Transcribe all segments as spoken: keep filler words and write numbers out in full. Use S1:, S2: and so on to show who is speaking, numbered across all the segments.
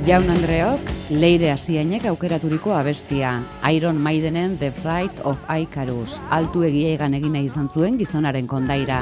S1: Jaun Andreok, Leire Asiainek aukeraturiko abestia, Iron Maidenen The Flight of Icarus, altu egiegan egina izan zuen gizonaren kondaira.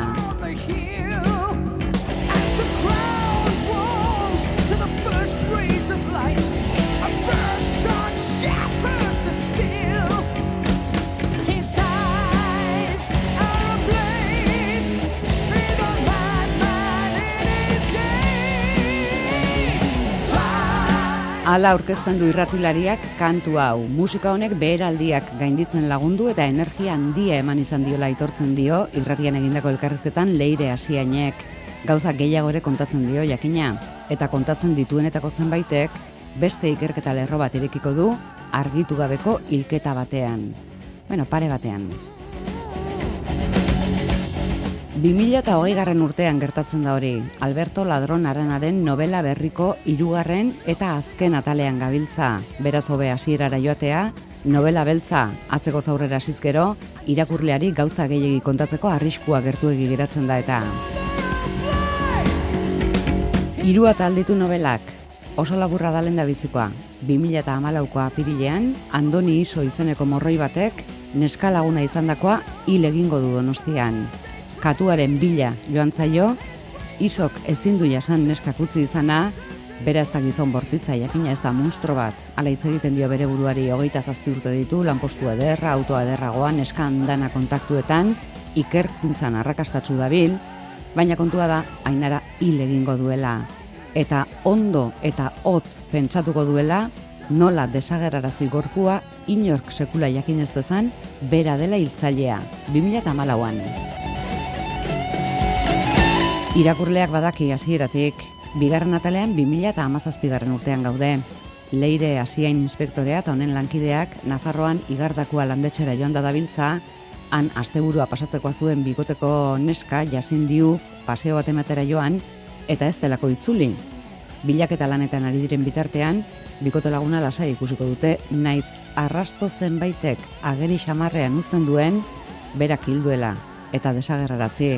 S1: Hala aurkezten du irratilariak kantu hau. Musika honek beheraldiak gainditzen lagundu eta energia handia eman izan diola aitortzen dio irratian egindako elkarrizketan Leire Asiainek. Gauza gehiago ere kontatzen dio jakina. Eta kontatzen dituenetako zenbaitek beste ikerketa lerro bat irekiko du argitu gabeko hilketa batean. Bueno, pare batean. bi mila hogeigarren urtean gertatzen da hori, Alberto Ladron Aranaren novela berriko hirugarren eta azken atalean gabiltza. Beraz hobe hasierara joatea, novela beltza atzeko zaurrera hasizkero, irakurleari gauza gehiegi kontatzeko arriskua gertuegi geratzen da eta. Hiru atal ditu novelak, oso laburra da lehendabizikoa. bi mila hamalauko apirilean, Andoni Iso izeneko morroi batek, neska laguna izandakoa hil egingo du Donostian. Katuaren bila joan zaio, Isok ezin du jasan neskak utzi izana, bera ez da gizon bortitza, jakina ez da monstro bat. Hala hitz egiten dio bere buruari hogeita zazpi urte ditu, lanpostu ederra, autoa ederragoa, neska andana kontaktuetan, ikerkuntzan arrakastatsu dabil, baina kontua da, Ainara hil egingo duela. Eta ondo eta hotz pentsatuko duela, nola desagerrarazi gorpua, inork sekula jakin ez dezan, bera dela hiltzailea, bi mila hamalauan. Irakurleak badaki hasieratik, bigarren atalean bi mila hamazazpigarren urtean gaude. Leire Asiain inspektorea eta honen lankideak Nafarroan igardakua landetxera joan da dabiltza, han asteburua pasatzekoa zuen bigoteko neska Jasin Diouf paseo bat ematera joan, eta ez delako itzuli. Bilaketa lanetan ari diren bitartean, bikote laguna lasai ikusiko dute, naiz arrasto zenbaitek ageri xamarrean uzten duen, berak hilduela eta desagerrarazi.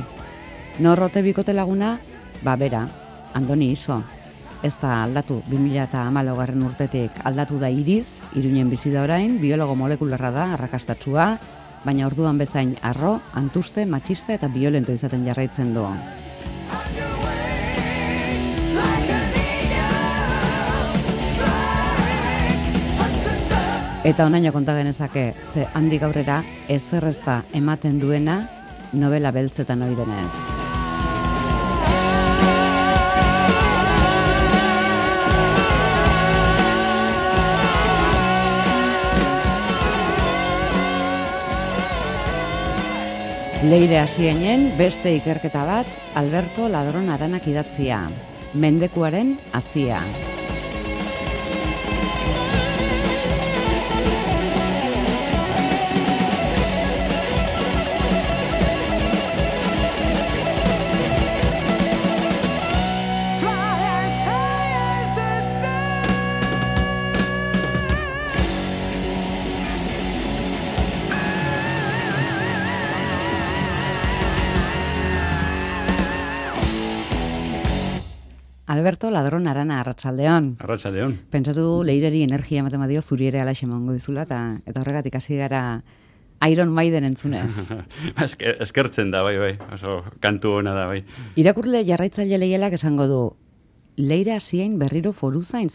S1: Norrote bikote laguna, ba bera, Andoni Iso. Ez da aldatu, bi mila hamalaugarren urtetik aldatu da Iriz, Iruinen bizi da orain, biologo molekularra da, arrakastatsua, baina orduan bezain arro, antuste, matxista eta biolento izaten jarraitzen du. Eta onaino konta genezake, ze handik aurrera ezerrezta ematen duena novela beltzetan ohi denez. Leire Asiainen beste ikerketa bat Alberto Ladron Aranak idatzia, Mendekuaren hazia. Alberto Ladron Arana, arratsaldeon.
S2: Arratsaldeon.
S1: Pentsatu du Leireri energia ematen badio zuri ere alaxe emango dizula eta eta horregatik hasi gara Iron Maiden entzunez.
S2: Esker, eskertzen da, bai, bai. Oso kantu ona da, bai.
S1: Irakurle jarraitzaile leielak esango du Leire Asiain berriro foruzain.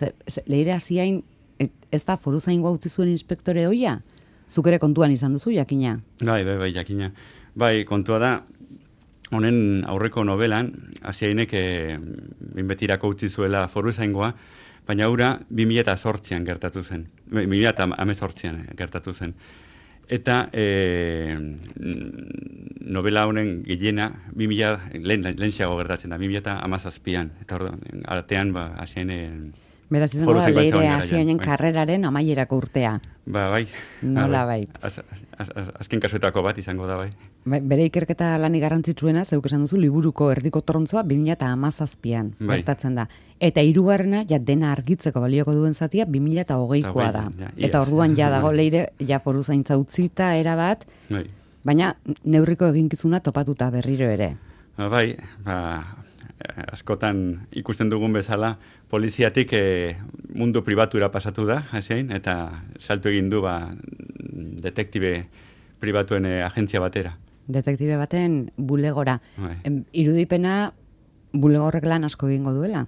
S1: Leire Asiain ez da foruzaingoa utzi zuen inspektore hoia? Zuk ere kontuan izan duzu, jakina?
S2: Bai, bai, bai, jakina. Bai, kontua da, honen aurreko novelan, Asiainek e, binbetirako utzi zuela foruzaingoa, baina hura bi mila zortzian gertatu zen. bi mila hemezortzian gertatu zen. Eta e, novela honen gehiena bi mila lehen lehenxeago gertatzen da, bi mila hamazazpian. Eta hor, artean, ba, Asiainen...
S1: Beraz izango da Leire Asiainen karreraren amaierako urtea.
S2: Ba, bai.
S1: Nola bai.
S2: Az, az, az, azken kasuetako bat izango da, bai.
S1: Bere ikerketa lani garrantzitsuena, zeuk esan duzu, liburuko erdiko torontzoa bi mila hamazazpian
S2: bai.
S1: Gertatzen da. Eta hirugarrena, ja dena argitzeko balioko duen zatia, bi mila hogeikoa da.
S2: Ja,
S1: eta orduan ja dago Leire, ja foruzaintza utzita erabat,
S2: bai.
S1: baina neurriko eginkizuna topatuta berriro ere.
S2: Ba, bai, ba, askotan ikusten dugun bezala, poliziatik e, mundu pribatura pasatu da, hasein, eta salto egin du ba, detektibe pribatuen e, agentzia batera.
S1: Detektibe baten bulegora.
S2: Bai.
S1: Em, irudipena bulegorrek lan asko egingo duela,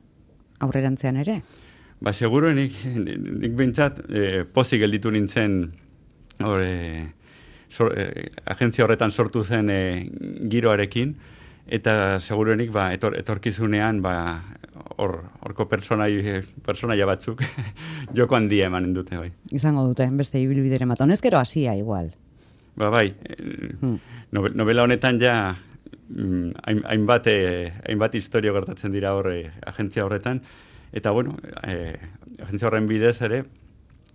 S1: aurrerantzean ere?
S2: Ba, seguro, nik, nik bintzat, e, pozik gelditu nintzen hor, e, sor, e, agentzia horretan sortu zen e, giroarekin, eta seguruenik ba, etor, etorkizunean ba, hor, horko personai, personaia batzuk joko handia emanen dute. Bai.
S1: Izango dute, beste ibilbideren bat. Honezkero hasia igual.
S2: Ba, bai, hmm. novela honetan ja mm, hainbat, eh, hainbat historio gertatzen dira hor eh, agentzia horretan, eta bueno, eh, agentzia horren bidez ere,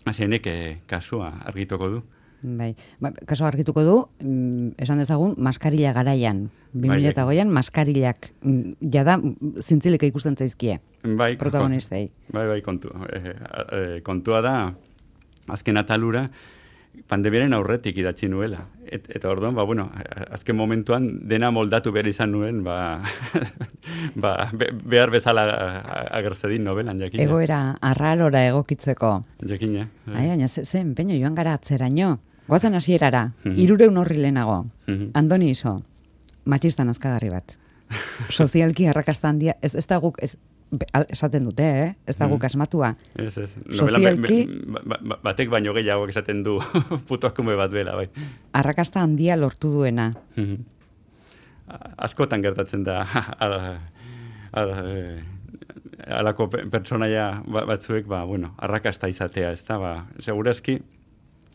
S2: hasienek eh, kasua argituko du.
S1: Bai, ba, kaso argituko du, mm, esan dezagun, maskarila garaian. bi mila hogeian maskarillak mm, jada zintzilik ikusten zaizkie.
S2: Bai,
S1: protagonistei.
S2: Bai, bai, kontu, eh, eh, kontua da, azken atalura, pandemiaren aurretik idatzi nuela. Et, eta orduan, ba, bueno, azken momentuan dena moldatu behar izan nuen, ba, ba, be, behar bezala agertzedin novelan, jakina.
S1: Egoera arrarora egokitzeko.
S2: Jakina.
S1: Ai, baina ze, ze empeño joan gara atzeraino. Goazen hasierara, hirureun horri lehenago. Andoni Iso, matxista nazkagarri bat. Sozialki arrakasta handia, ez, ez da guk, ez, esaten dute, eh? Ez da guk asmatua.
S2: Ez, ez.
S1: Sozialki...
S2: Ba, ba, batek baino gehiago esaten du putoakume bat bela, bai.
S1: Arrakasta handia lortu duena.
S2: Askotan gertatzen da ala, ala, alako pertsonaia batzuek, ba, bueno, arrakasta izatea, ez da, ba, segurazki,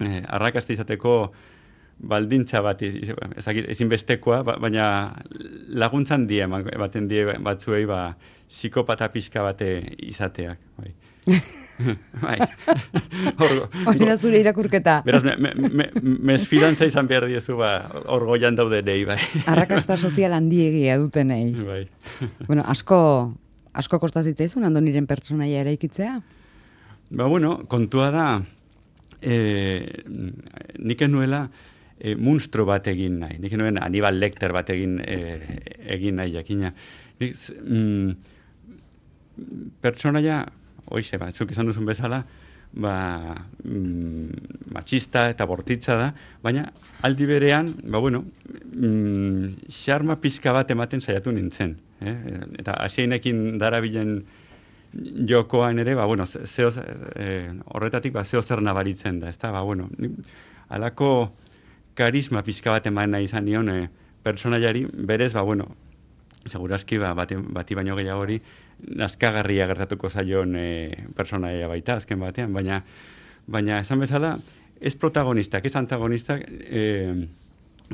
S2: eh, arrakasta izateko baldintza bat ezinbestekoa, baina laguntzan die, baten die batzuei, ba, psikopata pixka bate izateak. Bai. Bai.
S1: Hori da zure irakurketa.
S2: Beraz, mesfidantza izan behar diezu, ba, hor goian daude nei, bai.
S1: Arrakasta sozial handiegia dutenei.
S2: Bai.
S1: Bueno, asko, asko kostazitzaizu, Andoniren pertsonaia eraikitzea?
S2: Ba, bueno, kontua da, eh, nik enuela, E, munstro bat egin nahi. Nik nuen Hannibal Lecter bat egin, e, egin nahi jakina. Nik, mm, pertsonaia, oixe, ba, zuk esan duzun bezala, ba, mm, matxista eta bortitza da, baina aldi berean, ba, bueno, mm, xarma pizka bat ematen saiatu nintzen. Eh? Eta hasienekin darabilen jokoan ere, ba, bueno, zeo, eh, horretatik ba, zeo zer nabaritzen da, ezta? Ba, bueno, alako karisma pizka bat eman nahi izan nion e, personaiari, berez, ba, bueno, segurazki, ba, bati, bati baino gehiago hori, nazkagarria gertatuko zaion e, personaia baita, azken batean, baina, baina esan bezala, ez protagonistak, ez antagonistak, e,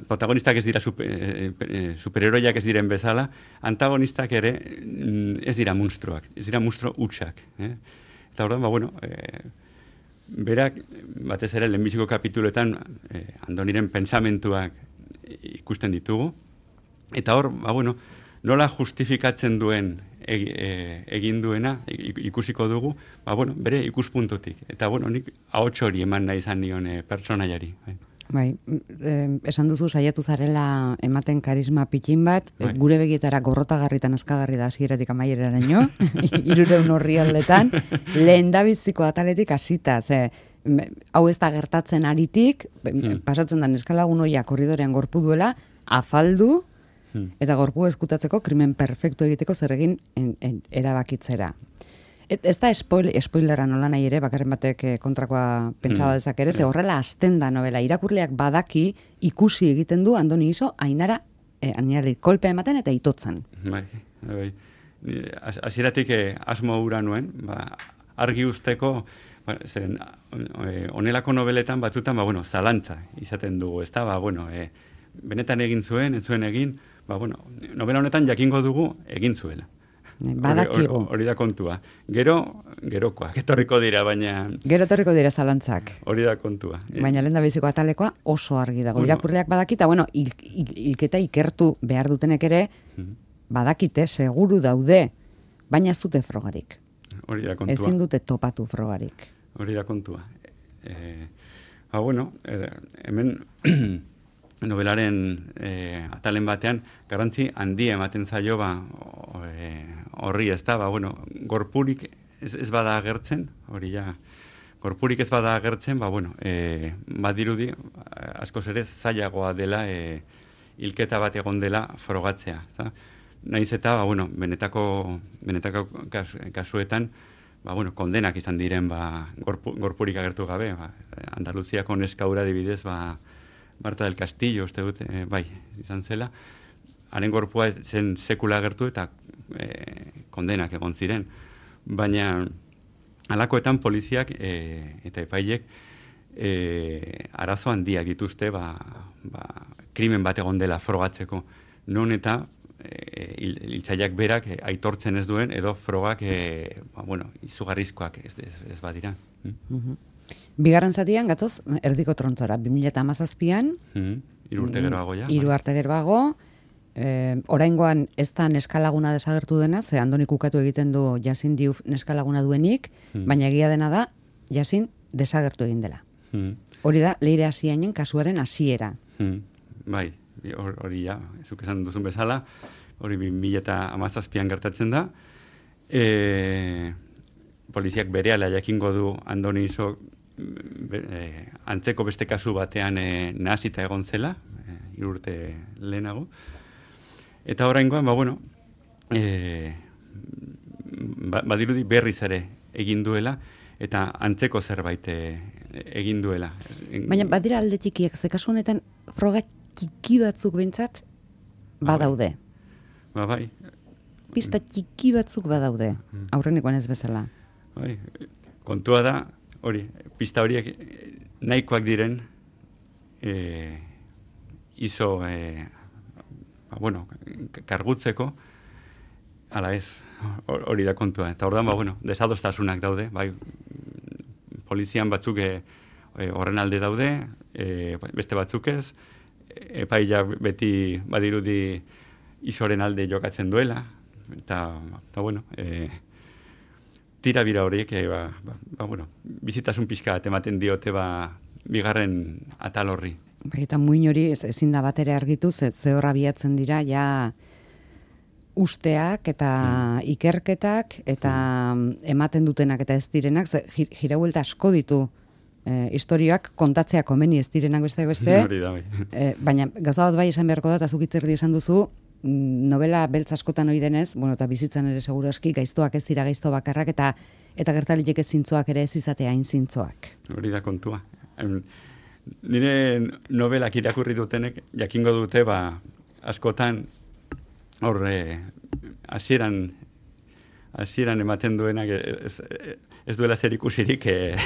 S2: protagonistak ez dira super, e, superheroiak ez diren bezala, antagonistak ere ez dira monstruak, ez dira monstru hutsak. Eh? Eta orduan, ba, bueno, e, berak, batez ere, lehenbiziko kapituletan eh, Andoniren pensamentuak ikusten ditugu. Eta hor, ba, bueno, nola justifikatzen duen eg, e, egin duena ikusiko dugu, ba, bueno, bere ikuspuntutik. Eta, bueno, nik ahots hori eman nahi izan nion e, pertsonaiari. Bai.
S1: Bai, eh, esan duzu saiatu zarela ematen karisma pitin bat,
S2: bai.
S1: Gure begietara gorrotagarritan azkagarri da hasieratik amaieraraino, hirureun orrialdetan, lehendabiziko ataletik hasita, ze hau ez da gertatzen aritik, hmm. pasatzen da neskalagun hoia korridorean gorpu duela, afaldu, hmm. eta gorpu eskutatzeko krimen perfektu egiteko zer egin en, en, erabakitzera. Et, ez da spoil, spoilera nola nahi ere, bakarren batek kontrakoa pentsaba
S2: Hmm.
S1: dezak ere, ze horrela hasten da novela. Irakurleak badaki ikusi egiten du Andoni Iso ainara, eh, ainari kolpea ematen eta itotzen.
S2: Bai, bai. Hasieratik eh, asmo hura nuen, ba, argi usteko, ba, zen, onelako nobeletan batzutan, ba, bueno, zalantza izaten dugu, ez da, ba, bueno, eh, benetan egin zuen, ez zuen egin, ba, bueno, novela honetan jakingo dugu egin zuela.
S1: Badakigu.
S2: Hori da kontua. Gero, gerokoak, etorriko dira, baina...
S1: Gero etorriko dira zalantzak.
S2: Hori da kontua.
S1: Baina lehen da biziko atalekoa oso argi dago.
S2: Bueno.
S1: Irakurleak badakita, bueno, il, il, ilketa ikertu behar dutenek ere, badakite, seguru daude, baina ez dute frogarik.
S2: Hori da kontua.
S1: Ezin dute topatu frogarik.
S2: Hori da kontua. E, ba, bueno, e, hemen novelaren e, atalen batean, garrantzi handia ematen zaio, ba, o, e, horri ez da, ba, bueno, gorpurik ez, ez bada agertzen, hori ja, gorpurik ez bada agertzen, ba, bueno, e, badirudi, askoz ere zailagoa dela, e, hilketa bat egon dela frogatzea. Za? Naiz eta, ba, bueno, benetako, benetako kas, kasuetan, ba, bueno, kondenak izan diren, ba, gorpu, gorpurik agertu gabe, ba, Andaluziako neskaura dibidez, ba, Marta del Castillo, uste dut, e, bai, izan zela, haren gorpua zen sekula agertu eta e, kondenak egon ziren. Baina, halakoetan poliziak e, eta epailek e, arazo handiak dituzte, ba, ba, krimen bat egon dela frogatzeko. Non eta e, hiltzaileak berak e, aitortzen ez duen, edo frogak e, ba, bueno, izugarrizkoak ez, ez, ez badira.
S1: Mm? Bigarren zatian, gatoz, erdiko trontzora, bi mila hamazazpian,
S2: mm, hiru urte geroago ja.
S1: Hiru arte geroago, eh, oraingoan ez da neskalaguna desagertu dena, ze Andonik ukatu egiten du Yasin Diouf neskalaguna duenik, mm. baina egia dena da, Yasin desagertu egin dela. Mm. Hori da, Leire Asiainen kasuaren hasiera.
S2: Mm. Bai, hori ja, zuk esan duzun bezala, hori bi mila hamazazpian gertatzen da. E, poliziak berehala jakingo du Andoni Iso be, e, antzeko beste kasu batean e, nahasita egon zela, e, hiru urte lehenago. Eta oraingoan, ba, bueno, e, ba, badirudi berriz ere egin duela, eta antzeko zerbait e, egin duela.
S1: Baina badira alde txikiak, ze kasu honetan froga txiki batzuk behintzat badaude.
S2: Ba, bai.
S1: Pista txiki batzuk badaude, aurrenekoan ez bezala.
S2: Bai, kontua da, hori, pista horiek nahikoak diren, e, iso, e, ba, bueno, kargutzeko, ala ez, hori da kontua. Eta ordan, ba, bueno, desadostasunak daude, bai, polizian batzuk e, horren alde daude, e, beste batzuk ez, epaia beti badirudi isoren alde jokatzen duela, eta, eta bueno, e, tira bira horiek, e, ba, ba, ba, bueno, bizitasun pixka bat ematen diote, ba, bigarren atal horri.
S1: Bai, eta muin hori ez, ezin da bat ere argitu, ze, ze horra biatzen dira, ja usteak eta mm. ikerketak eta mm. ematen dutenak eta ez direnak, ze jirabuelta asko ditu e, historioak kontatzea komeni ez direnak beste beste,
S2: Hori da, bai.
S1: e, baina gauza bat bai esan beharko da, eta zuk itzerdi esan duzu, novela beltz askotan hori denez, bueno, eta bizitzan ere seguru aski, gaiztoak ez dira gaizto bakarrak, eta eta gertaliteke zintzoak ere ez izatea hain zintzoak.
S2: Hori da kontua. Nire novelak irakurri dutenek, jakingo dute, ba, askotan, hor, hasieran hasieran ematen duenak ez, ez duela zer ikusirik eh,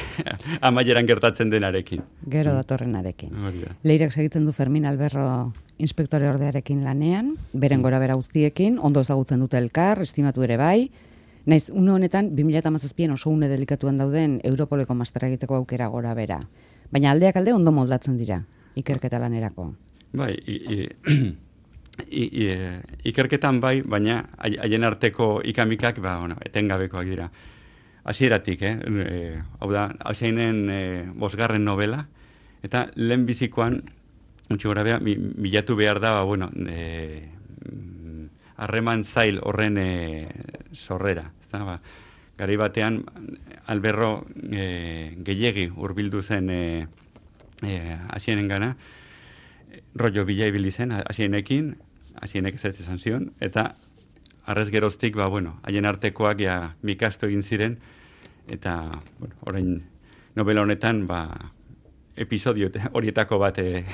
S2: amaieran gertatzen denarekin.
S1: Gero datorrenarekin. Leirak segitzen du Fermin Alberro inspektore ordearekin lanean, beren gora bera guztiekin, ondo ezagutzen dute elkar, estimatu ere bai. Naiz, une honetan, bi mila hamazazpian oso une delikatuan dauden Europoleko masterra egiteko aukera gora bera. Baina aldeak alde ondo moldatzen dira, ikerketa lanerako.
S2: Bai, i, i, i, i, ikerketan bai, baina haien arteko ikamikak, ba, bueno, etengabekoak dira. Hasieratik, eh? E, hau da, hasienen e, bosgarren novela, eta lehen bizikoan, utzi gora beha, bilatu behar da, ba, bueno, e, harreman zail horren e, sorrera. Ezta? Ba, garai batean, Alberro e, gehiegi hurbildu zen e, e, hasienen gana, rollo bila ibili zen hasienekin, hasienek ez esan zion, eta arrez geroztik, ba, bueno, haien artekoak ja mikasto egin ziren, eta, bueno, orain novela honetan, ba, episodio horietako bat e,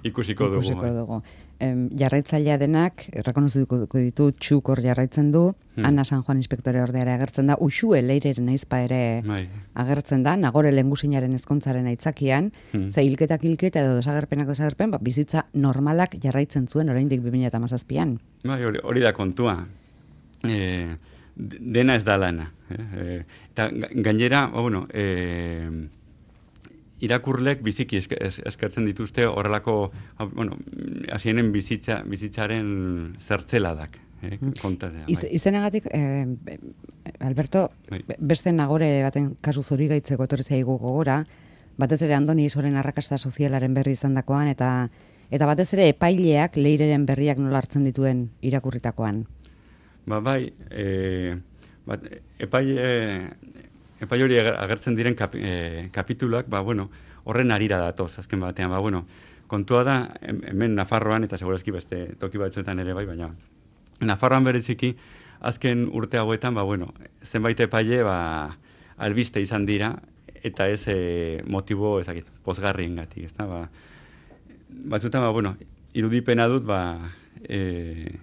S2: ikusiko dugu.
S1: Ikusiko dugu. Em, jarraitzailea denak, errekonozituko ditu, txuk hor jarraitzen du, hmm. Ana San Juan inspektore ordeare agertzen da, Uxue Leireren aizpa ere Mai. agertzen da, Nagore Lengusinaren ezkontzaren aitzakian, hmm. ze hilketak hilketa edo desagerpenak desagerpen, ba, bizitza normalak jarraitzen zuen oraindik bi mila hamazazpian.
S2: Bai, hori, hori da kontua. E, dena ez da lana. E, eta gainera, bueno, e, irakurlek biziki eskatzen dituzte horrelako, bueno, hasienen bizitza, bizitzaren zertzeladak. Eh, kontatzea,
S1: Iz, izenagatik, eh, Alberto, bai. beste Nagore baten kasu zori gaitzeko etorri zaigu gogora, batez ere Andoni Isoren arrakasta sozialaren berri izandakoan, eta eta batez ere epaileak Leireren berriak nola hartzen dituen irakurritakoan.
S2: Ba, bai, e, bat, epai, e, epai hori agertzen diren kap, e, kapituluak, ba, bueno, horren arira datoz, azken batean, ba, bueno, kontua da, hemen Nafarroan, eta segurazki beste toki batzuetan ere bai, baina Nafarroan bereziki, azken urte hauetan, ba, bueno, zenbait epaile, ba, albiste izan dira, eta ez e, motibo, ezakit, pozgarrien gati, ez da, ba, batzuetan, ba, bueno, irudipena dut, ba, e,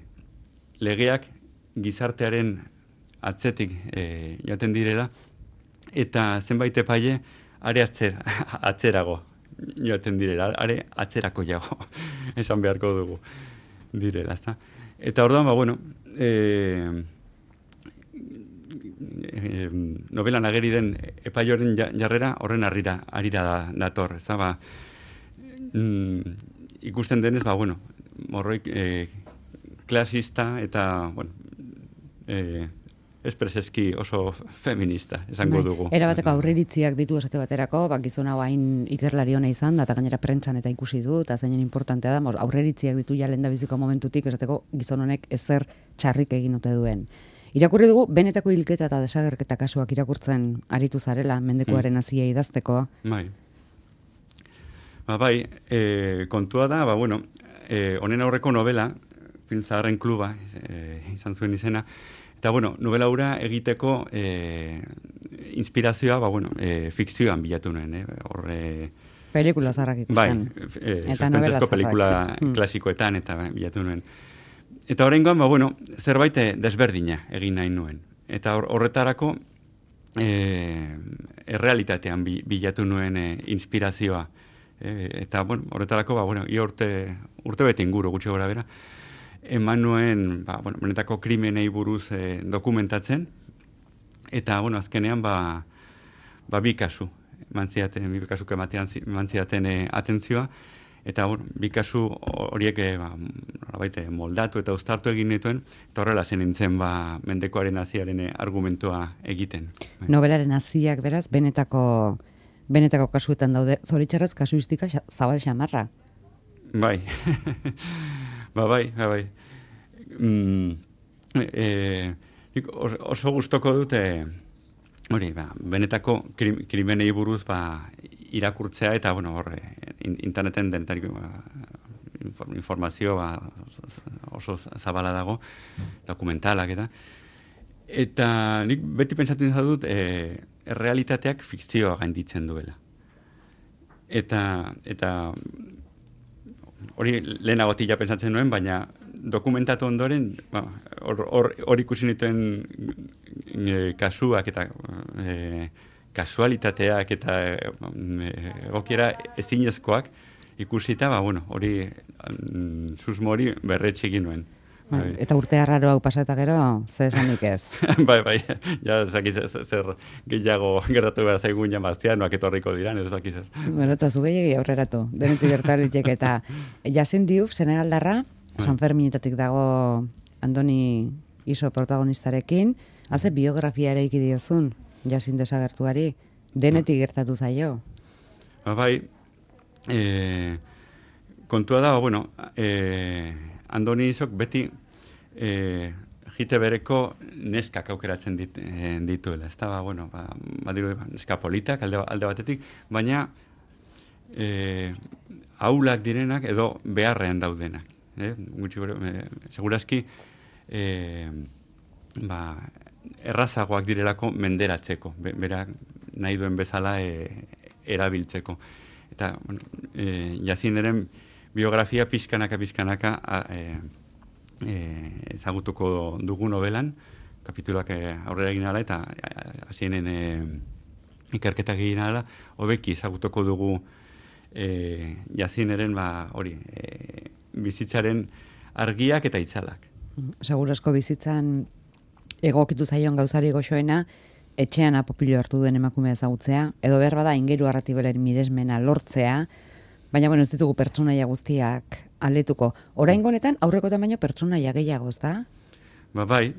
S2: legeak gizartearen atzetik e, joaten direla, eta zenbait epaile are atzera, atzerago joaten direla, are atzerako jago, esan beharko dugu direla, ezta. Eta orduan, ba, bueno, e, e, novelan ageri den epaioren jarrera horren harrira, harira da, dator, ezta, ba, mm, ikusten denez, ba, bueno, morroik e, klasista eta, bueno, eh, espreseski oso feminista, esango dugu.
S1: Era bateko aurreiritziak ditu esate baterako, bak gizon hau hain ikerlari ona izan da, eta gainera prentsan eta ikusi du, eta zeinen importantea da, aurreiritziak ditu ja lehendabiziko momentutik, esateko gizon honek ezer txarrik egin ote duen. Irakurri dugu, benetako hilketa eta desagerketa kasuak irakurtzen aritu zarela, mendekuaren hasia idazteko.
S2: Bai. Ba, bai, e, kontua da, ba, bueno, e, honen aurreko novela, Film Zaharren Kluba, e, izan zuen izena, eta, bueno, novela hura egiteko e, inspirazioa, ba, bueno, e, fikzioan bilatu nuen, eh? Horre...
S1: Pelikula zaharrak ikusten.
S2: Bai, e, suspentzezko pelikula hmm. klasikoetan, eta bilatu nuen. Eta horrengoan, ba, bueno, zerbait desberdina egin nahi nuen. Eta horretarako, e, errealitatean bilatu nuen e, inspirazioa. E, eta, bueno, horretarako, ba, bueno, ia urte, urte bete inguru, gutxi gora bera, eman nuen, ba, bueno, benetako krimenei buruz e, dokumentatzen, eta, bueno, azkenean, ba, ba bi kasu, mantziaten, bi kasuk ematean mantziaten e, atentzioa, eta, bueno, bi kasu horiek e, ba, baite, moldatu eta uztartu egin dituen, eta horrela zen nintzen, ba, mendekoaren haziaren argumentua egiten.
S1: Nobelaren haziak, beraz, benetako, benetako kasuetan daude, zoritxarrez kasuistika zabal xamarra.
S2: Bai, ba, bai, ba, bai. Mm, e, oso, oso gustoko dute, hori, ba, benetako krim, krimenei buruz ba, irakurtzea, eta, bueno, horre, interneten dentarik ba, informazio ba, oso zabala dago, dokumentalak eta. Eta nik beti pentsatu izan dut, e, errealitateak fikzioa gainditzen duela. Eta, eta hori lehenagotik ja pentsatzen nuen, baina dokumentatu ondoren, hor ba, ikusi nituen e, kasuak eta e, kasualitateak eta e, egokiera ezinezkoak ikusita, ba, bueno, hori mm, susmo hori berretxe egin nuen.
S1: Bai. Eta urte arraro hau pasata gero, ze esanik ez?
S2: bai, bai, ja, zakiz, zer gehiago gertatu behar zaigun jamaztianoak etorriko diran, edo zakiz.
S1: Bueno, eta zu gehiagi aurreratu, denetik gertaritek, eta Jasin Diouf, Senegaldarra, San Ferminetatik dago Andoni Iso protagonistarekin, haze biografia ere iki diozun, Jasin desagertuari, denetik gertatu zaio.
S2: Ba, bai, e, kontua da, bueno, e, Andoni Isok beti e, jite bereko neskak aukeratzen dit, e, dituela. Ez da, ba, bueno, ba, badiru, neska politak alde, alde batetik, baina e, aulak direnak edo beharrean daudenak. Eh? Gutxi, e, segurazki e, ba, errazagoak direlako menderatzeko, be, berak nahi duen bezala e, erabiltzeko. Eta, bueno, e, Jazineren biografia pizkanaka pizkanaka e, e, ezagutuko dugu novelan, kapituluak e, aurrera egin ala eta hasienen e, ikerketak egin ala, hobeki ezagutuko dugu e, Jazineren ba, hori, e, bizitzaren argiak eta itzalak.
S1: Segurazko bizitzan egokitu zaion gauzari goxoena, etxean apopilo hartu duen emakumea ezagutzea, edo behar bada ingeru arratibelen miresmena lortzea, baina, bueno, ez ditugu pertsonaia guztiak aletuko. Oraingo honetan aurrekotan baino pertsonaia gehiago, ez da?
S2: Ba, bai.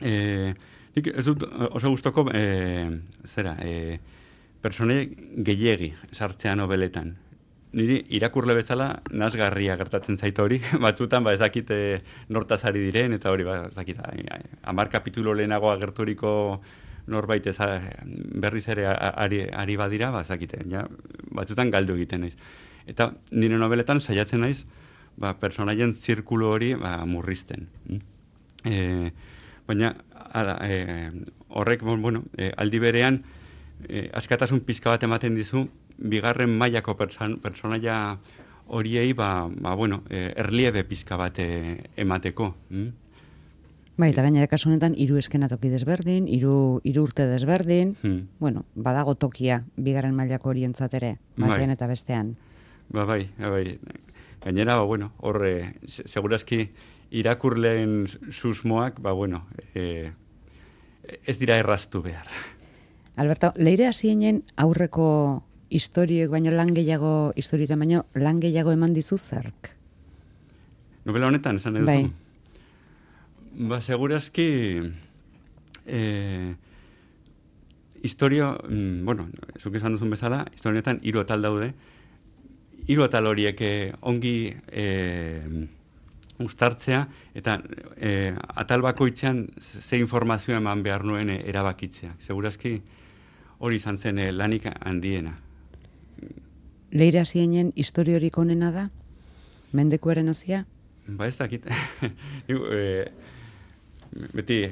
S2: E, ez dut oso gustoko e, zera, e, pertsonaia gehiegi sartzea nobeletan. niri irakurle bezala nasgarria gertatzen zait hori, batzutan ba ez dakit e, nortaz ari diren, eta hori ba ez dakit hamar kapitulo lehenago agerturiko norbait ez berriz ere ari, ari badira, ba ez dakit, ja, batzutan galdu egiten naiz. Eta nire nobeletan saiatzen naiz, ba, personaien zirkulu hori ba, murrizten. E, baina ara, e, horrek, bueno, e, aldi berean, e, askatasun pizka bat ematen dizu, bigarren mailako personaia horiei, ba, ba, bueno, e, erliebe pizka bat e, emateko. Mm?
S1: Bai, eta gainera kasu honetan hiru eskenatoki desberdin, hiru hiru urte desberdin, hmm. bueno, badago tokia bigarren mailako horientzat ere, batean bai. Eta bestean.
S2: Ba, bai, bai. Gainera, ba, bueno, horre, segurazki irakurleen susmoak, ba, bueno, e, ez dira erraztu behar.
S1: Alberto, leire hasienen aurreko historioek baino lan gehiago, historietan baino lan gehiago eman dizu zerk?
S2: Novela honetan, esan edo
S1: bai.
S2: Ba, segurazki eh, historio, mm, bueno, zuk esan duzun bezala, historietan hiru atal daude. Hiru atal horiek eh, ongi eh, uztartzea, eta eh, atal bakoitzean ze informazio eman behar nuen eh, erabakitzea. Segurazki hori izan zen eh, lanik handiena.
S1: Leire hasienen historiorik onena da? Mendekuaren hasia?
S2: Ba, ez dakit. e, beti,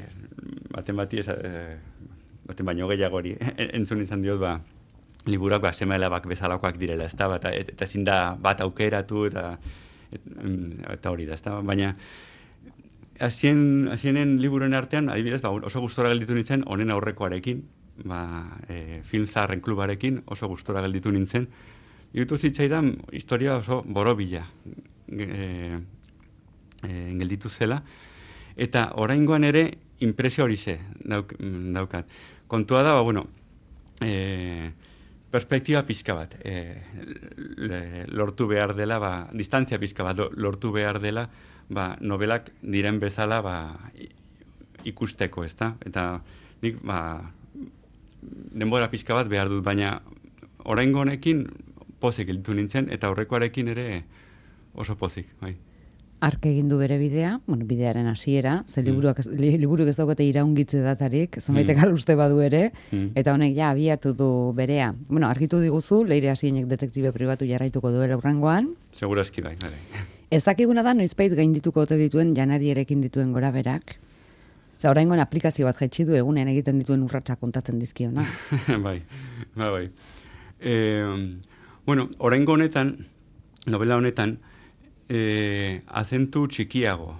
S2: baten bati, e, baten baino gehiago hori, entzun izan diot, ba, liburak ba, seme-alabak bezalakoak direla, ez da, eta, eta ezin da bat aukeratu, eta, et, eta hori da, ez da, baina hasien, hasienen liburuen artean, adibidez, ba, oso gustora gelditu nintzen, honen aurrekoarekin, ba, e, film zaharren klubarekin, oso gustora gelditu nintzen, irutu zitzaidan, historia oso borobila, e, e, gelditu zela, eta oraingoan ere impresio hori ze dauk, daukat. Kontua da, ba, bueno, e, perspektiba pizka bat, e, le, lortu behar dela, ba, distantzia pizka bat lortu behar dela, ba, novelak diren bezala ba, ikusteko, ezta? Eta nik, ba, denbora pizka bat behar dut, baina oraingo honekin pozik gelditu nintzen, eta aurrekoarekin ere oso pozik, bai.
S1: Ark egin du bere bidea, bueno, bidearen hasiera, ze liburuak mm. liburuk ez daukate iraungitze datarik, zenbaitek mm. uste badu ere, mm. eta honek ja abiatu du berea. Bueno, argitu diguzu, Leire Hasienek detektibe pribatu jarraituko duela hurrengoan.
S2: Segurazki bai, bai.
S1: Ez dakiguna da noizbait gaindituko ote dituen janarierekin dituen goraberak. Za oraingoan aplikazio bat jaitsi du egunean egiten dituen urratsak kontatzen dizkiona.
S2: bai, bai, bai. Eh, bueno, oraingo honetan, novela honetan, E, azentu txikiago.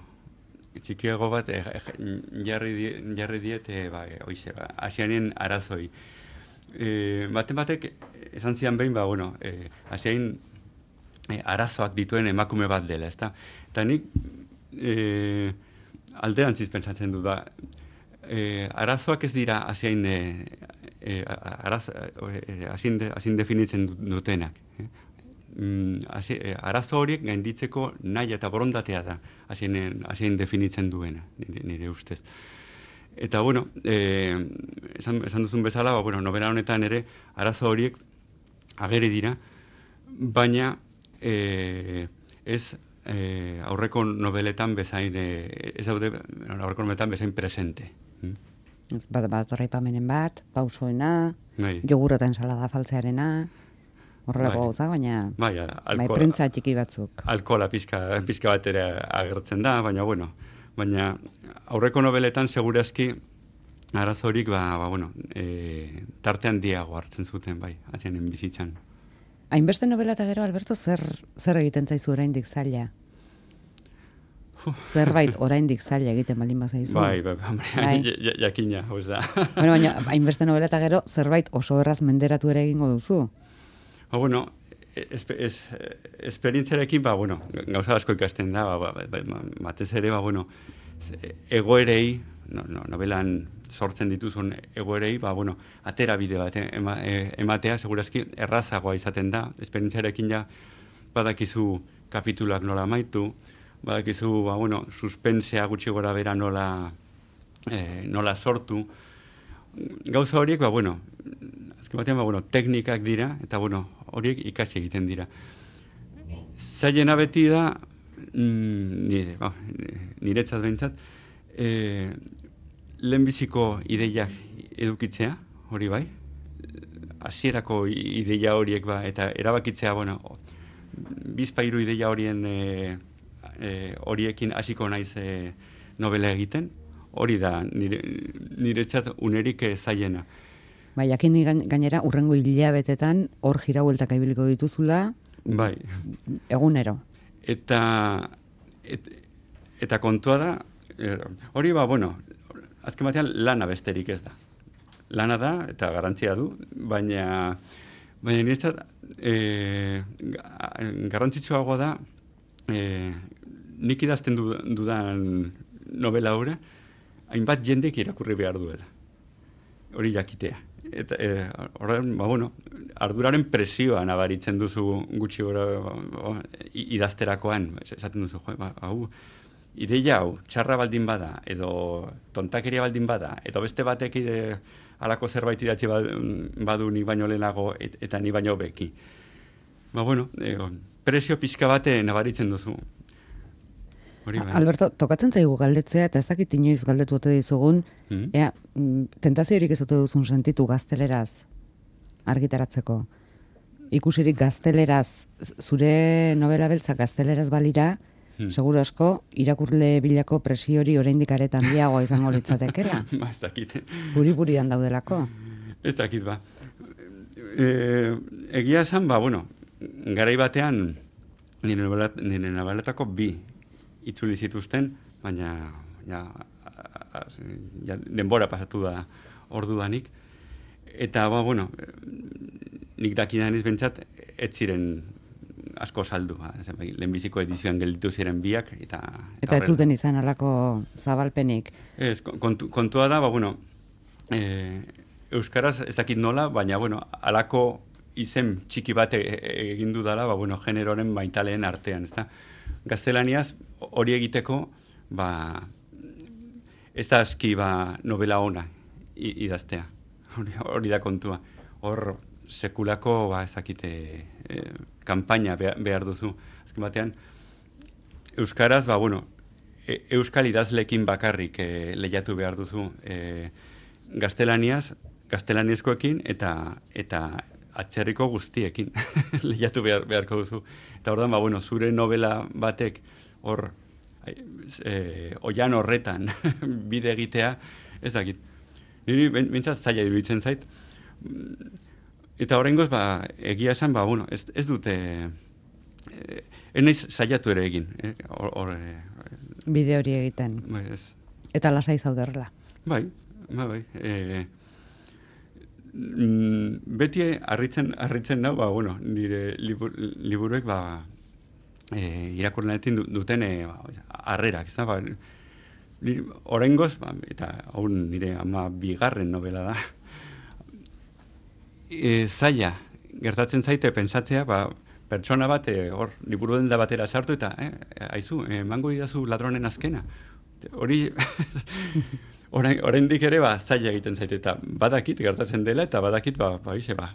S2: Txikiago bat e, jarri, die, jarri diet, e, ba, oize, ba, asianen arazoi. E, baten batek, esan zian behin, ba, bueno, e, asiain e, arazoak dituen emakume bat dela, ezta? Eta nik e, alderantziz pentsatzen du da. E, arazoak ez dira asiain e, e, araz, e, asin, de, asin definitzen dutenak. Eh? Mm, hasi, eh, arazo horiek gainditzeko nahi eta borondatea da hasien definitzen duena, nire, nire ustez. Eta, bueno, eh, esan, esan duzun bezala, ba, bueno, novela honetan ere arazo horiek ageri dira, baina eh, ez eh, aurreko noveletan bezain, eh, ez daude aurreko noveletan bezain presente. Mm?
S1: Ez bat, bat horreipamenen bat, pausoena,
S2: bai.
S1: Jogurata ensalada faltzearena... Horrelako gauza, bai. baina
S2: bai,
S1: bai, prentza txiki batzuk.
S2: Alkohola pizka, pizka bat ere agertzen da, baina bueno, baina aurreko nobeletan segurazki arazorik ba, ba bueno, e, tartean diago hartzen zuten bai, hazienen bizitzan.
S1: Hainbeste novela eta gero, Alberto, zer, zer egiten zaizu oraindik zaila? Zerbait oraindik zaila egiten balin bazaizu.
S2: Bai, bai, bai, jakina, oza.
S1: Bueno, baina hainbeste novela eta gero, zerbait oso erraz menderatu ere egingo duzu?
S2: Ba, bueno, es, es, esperientziarekin, ba, bueno, gauza asko ikasten da, ba, ba, ba, batez ere, ba, bueno, egoerei, no, no, novelan sortzen dituzun egoerei, ba, bueno, atera bide bat ema, ematea, segurazki errazagoa izaten da, esperientziarekin ja, badakizu kapituluak nola amaitu, badakizu, ba, bueno, suspensea gutxi gora bera nola, eh, nola sortu, gauza horiek, ba, bueno, azken batean, ba, bueno, teknikak dira, eta, bueno, horiek ikasi egiten dira. zailena beti da, mm, nire, ba, niretzat behintzat, e, lehenbiziko ideiak edukitzea, hori bai, hasierako ideia horiek ba, eta erabakitzea, bueno, bizpairu ideia horien e, e, horiekin hasiko naiz e, novela egiten, hori da nire, niretzat unerik e, zailena.
S1: Bai, jakin gainera, urrengo hilabetetan hor jirabueltak ibiliko dituzula,
S2: bai.
S1: Egunero.
S2: Eta, et, eta kontua da, er, hori ba, bueno, azken batean lana besterik ez da. Lana da, eta garrantzia du, baina, baina niretzat, e, garrantzitsuagoa da, e, nik idazten du, dudan novela hura, hainbat jendek irakurri behar duela. Hori jakitea. Eta, e, horren, ba, bueno, arduraren presioa nabaritzen duzu gutxi gora ba, idazterakoan, esaten duzu, jo, ba, hau, ideia hau, txarra baldin bada, edo tontakeria baldin bada, edo beste batek ide, alako zerbait idatzi badu nik baino lehenago et, eta ni baino beki. Ba, bueno, e, presio pixka bate nabaritzen duzu. Hori bai.
S1: Alberto, tokatzen zaigu galdetzea, eta ez dakit inoiz galdetu ote dizugun, mm? ea, tentaziorik ez ote duzun sentitu gazteleraz argitaratzeko. Ikusirik gazteleraz, zure novela beltza gazteleraz balira, hmm. seguru asko, irakurle bilako presio hori oraindik aretan handiagoa izango litzatekela.
S2: Ba, ez dakit.
S1: Buri-burian daudelako.
S2: Ez dakit, ba. E, egia esan, ba, bueno, garai batean nire noveletako bi itzuli zituzten, baina ja, ja, denbora pasatu da ordudanik. Eta, ba, bueno, nik dakidan izbentzat, ez ziren asko saldu. Ba. Lehenbiziko edizioan gelditu ziren biak. Eta, eta,
S1: eta ez zuten izan alako zabalpenik.
S2: Ez, kontu, kontua da, ba, bueno, e, euskaraz ez dakit nola, baina, bueno, alako izen txiki bat egin dudala, ba, bueno, generoren baitaleen artean, ezta? Gaztelaniaz hori egiteko, ba, ez da aski ba, novela ona idaztea. Hori, hori da kontua. Hor sekulako ba, ezakite e, kanpaina behar duzu. Azken batean, euskaraz, ba, bueno, e, euskal idazlekin bakarrik e, lehiatu behar duzu. E, gaztelaniaz, gaztelaniezkoekin eta eta atzerriko guztiekin lehiatu behar, beharko duzu. Eta hor da, ba, bueno, zure novela batek hor e, oian horretan bide egitea, ez dakit. Niri bintzat zaila iruditzen zait. Eta horrengoz, ba, egia esan, ba, bueno, ez, ez dute, e, ez naiz zailatu ere egin. Eh? Or, or, e,
S1: bide hori egiten.
S2: Bai, ez.
S1: Eta lasai zauderrela.
S2: Bai, bai, bai. E, beti harritzen harritzen da, ba, bueno, nire libur, liburuek ba, e, irakurlenetin duten e, ba, harrerak, ez da, ba, oraingoz, ba, eta hau nire ama bigarren novela da, e, zaila, gertatzen zaite pentsatzea, ba, pertsona bat, e, hor, liburu denda batera sartu eta, eh, aizu, emango idazu ladronen azkena. Hori, orain, oraindik ere, ba, zaila egiten zaite, eta badakit gertatzen dela, eta badakit, ba, ba, ize, ba,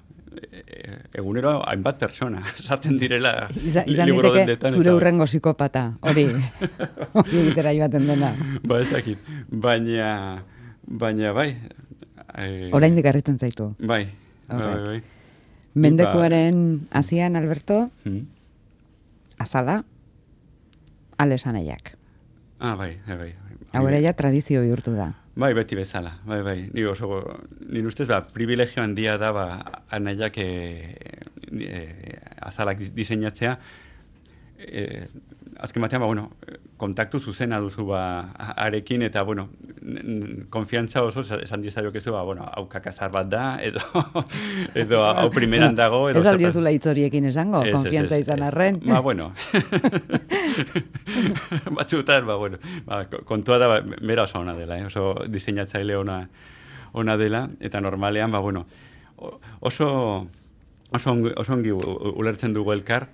S2: egunero hainbat pertsona sartzen direla
S1: Iza, izan
S2: liburu
S1: diteke
S2: dendetan.
S1: Zure
S2: eta,
S1: urrengo psikopata, hori, hori egitera joaten dena.
S2: Ba, ez dakit, baina, baina, bai. E,
S1: oraindik harritzen zaitu.
S2: Bai, bai, bai, bai.
S1: Mendekuaren hasian, Alberto,
S2: hmm?
S1: azala, alesanaiak.
S2: Ah, bai, bai, bai.
S1: Hau ere ja tradizio bihurtu da.
S2: Bai, beti bezala, bai, bai. Ni oso, nire ustez, ba, privilegio handia da, ba, anaiak e, e, azalak diseinatzea. E, azken batean, ba, bueno, kontaktu zuzena duzu, ba, arekin, eta, bueno, konfiantza oso, esan diezaiokezu, ba, bueno, hau kakazar bat da, edo, edo hau primeran dago. Edo
S1: ez aldiozula hitzoriekin esango, konfiantza izan arren.
S2: Ba, bueno, batzutan, ba, bueno, ba, kontua da, ba, bera oso ona dela, eh? Oso diseinatzaile ona, ona dela, eta normalean, ba, bueno, oso, oso, ongi, oso ongi ulertzen dugu elkar,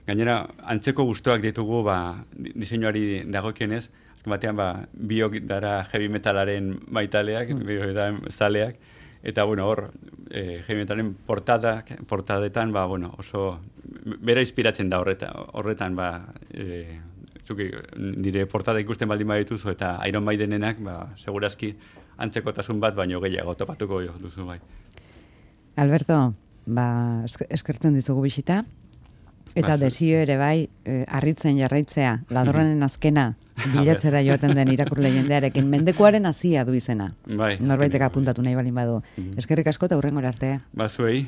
S2: gainera, antzeko gustoak ditugu, ba, diseinuari dagokienez, azken batean, ba, biok dara heavy metalaren baitaleak, mm. biok da zaleak, Eta, bueno, hor, e, heavy metalen portada, portadetan, ba, bueno, oso, bera inspiratzen da horretan, horretan, ba, e, zuki, nire portada ikusten baldin badituzu, eta Iron Maidenenak, ba, segurazki, antzekotasun bat, baino gehiago topatuko duzu, bai.
S1: Alberto, ba, eskertzen dizugu bisita, eta ba, desio ere bai, eh, harritzen jarraitzea, ladronen azkena, bilatzera joaten den irakurle jendearekin, mendekuaren hazia du izena.
S2: Bai.
S1: Norbaitek apuntatu nahi balin badu. Mm-hmm. Eskerrik asko eta hurrengora arte.
S2: Ba, zuei.